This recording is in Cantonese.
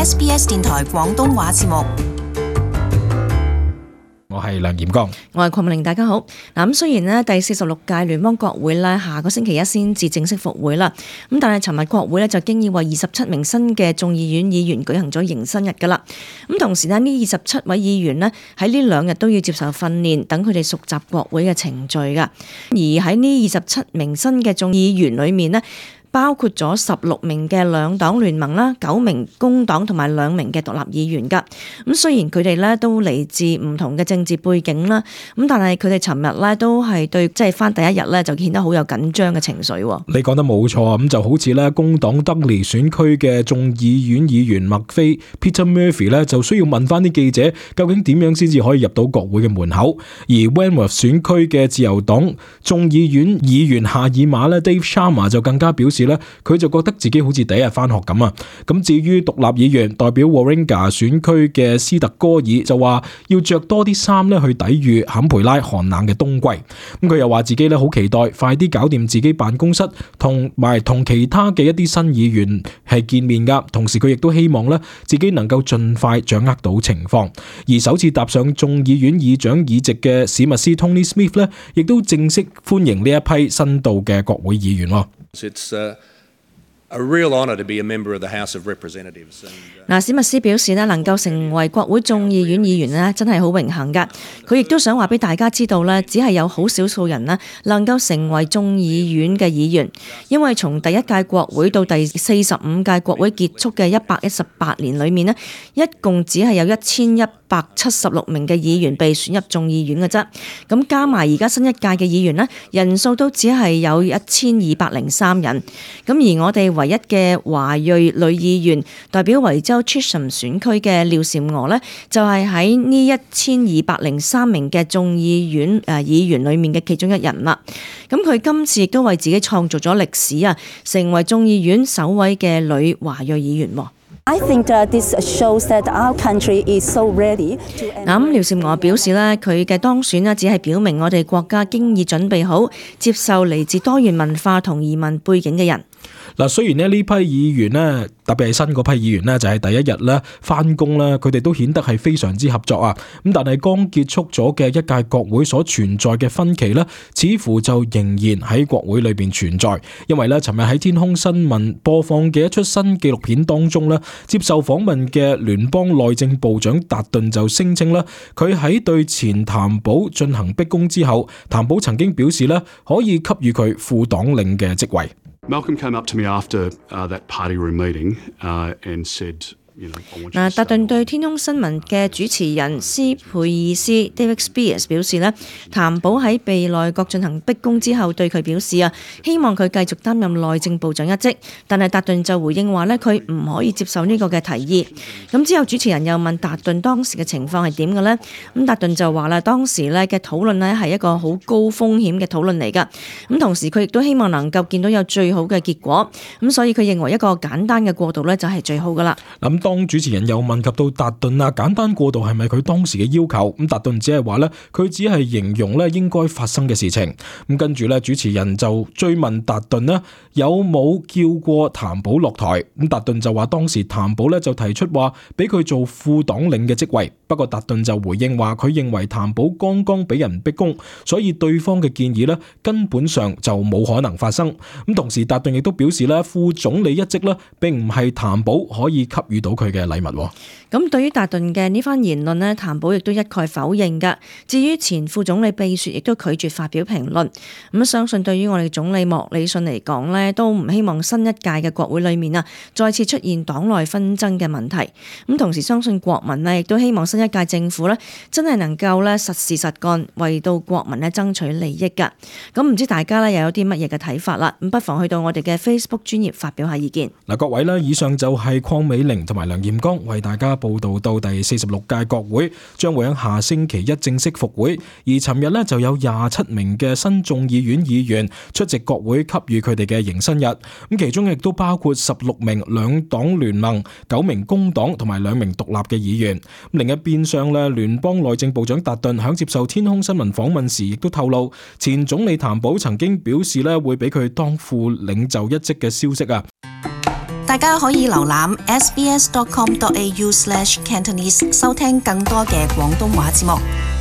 SBS 電台廣東話節目。我係梁炎光，我係鄺美玲，大家好。咁雖然呢第46屆聯邦國會呢下個星期一先至正式復會啦，咁但係尋日國會呢就經已為27名新嘅眾議院議員舉行咗迎新日㗎啦。咁同時呢27位議員呢喺呢2日都要接受訓練，等佢哋熟習國會嘅程序㗎。而喺呢27名新嘅眾議員裏面呢，包括咗16名嘅兩黨聯盟啦、9名工黨同埋2名嘅獨立議員㗎。咁雖然佢哋咧都嚟自唔同嘅政治背景啦，咁但係佢哋尋日咧都係對即係返第一日咧就顯得好有緊張嘅情緒。你講得冇錯，咁就好似咧工黨德利選區嘅眾議院議員麥菲 Peter Murphy 咧就需要問翻啲記者究竟點樣先至可以入到國會嘅門口，而 Wentworth 選區嘅自由黨眾議院議員夏爾馬咧 Dave Sharma 就更加表示佢就覺得自己好似第一日返學咁啊！咁至於獨立議員代表 Warringah 選區嘅斯特哥爾就話要着多啲衫去抵禦坎培拉寒冷嘅冬季。咁佢又話自己好期待快啲搞掂自己辦公室同埋同其他嘅一啲新議員係見面噶。同時佢亦都希望自己能夠盡快掌握到情況。而首次踏上眾議院議長議席嘅史密斯 Tony Smith 亦都正式歡迎呢一批新到嘅國會議員。It's a real honor to be a member of the House of Representatives. 史密斯表示能夠成為國會眾議院議員真係好榮幸㗎。佢亦都想話俾大家知道只係有好少數人能夠成為眾議院嘅議員，因為從第一屆國會到第45屆國會結束嘅118年裏面一共只係有1176名嘅議員被選入眾議院嘅啫。咁加埋而家新一屆嘅議員人數都只係有1203人。咁而我哋唯一嘅華裔女議員代表維州 Chisholm 選區嘅廖嬋娥就係喺呢1203名嘅眾議院議員裏面嘅其中一人啦。咁佢今次亦都為自己創造咗歷史啊，成為眾議院首位嘅女華裔議員。I think this shows that our country is so ready to。咁廖嬋娥表示佢嘅當選只係表明我哋國家經已準備好接受嚟自多元文化同移民背景嘅人。雖然呢批議員特別係新嗰批議員就係第一日返工佢哋都顯得係非常之合作啊。咁但係剛結束咗嘅一屆國會所存在嘅分歧似乎就仍然喺國會裏邊存在。因為尋日喺天空新聞播放嘅一出新紀錄片當中接受訪問嘅聯邦內政部長達頓就聲稱佢喺對前譚寶進行逼宮之後，譚寶曾經表示可以給予佢副黨領嘅職位。Malcolm came up to me after that party room meeting and said, 達頓對天空新聞嘅主持人斯佩爾斯 David Spears 表示譚寶喺被內閣進行逼宮之後對佢表示希望佢繼續擔任內政部長一職，但係達頓就回應話佢唔可以接受呢個嘅提議。咁之後主持人又問達頓當時嘅情況係點嘅呢？咁達頓就話當時嘅討論係一個好高風險嘅討論嚟㗎。咁同時佢亦都希望能夠見到有最好嘅結果，咁所以佢認為一個簡單嘅過渡就係最好㗎啦。當主持人又問及到達頓簡單過渡係咪佢當時嘅要求，咁達頓只係話佢只係形容應該發生嘅事情。咁跟住主持人就追問達頓有冇叫過譚寶落台，咁達頓就話當時譚寶就提出話俾佢做副黨領嘅職位，不過達頓就回應話佢認為譚寶剛剛俾人逼宮，所以對方嘅建議根本上就冇可能發生。咁同時達頓亦都表示副總理一職並唔係譚寶可以給予到佢嘅禮物。咁對於達頓嘅呢番言論譚寶亦都一概否認㗎。至於前副總理秘書亦都拒絕發表評論。咁相信對於我哋總理莫里遜嚟講都唔希望新一屆嘅國會裏面再次出現黨內紛爭嘅問題。咁同時相信國民亦都希望新一屆政府真係能夠實事實幹，為到國民爭取利益㗎。咁唔知大家又有啲乜嘢嘅睇法啦？咁不妨去到我哋嘅 Facebook 專頁發表下意見。各位以上就係鄺美玲同埋梁炎光為大家報道到第46屆國會將會喺下星期一正式復會，而尋日就有27名嘅新眾議院議員出席國會給予佢哋嘅迎新日，咁其中亦都包括16名兩黨聯盟、9名工黨同埋2名獨立嘅議員。另一邊上聯邦內政部長達頓響接受天空新聞訪問時亦都透露，前總理譚寶曾經表示會俾佢當副領袖一職嘅消息啊。大家可以瀏覽 sbs.com.au/Cantonese 收聽更多嘅廣東話節目。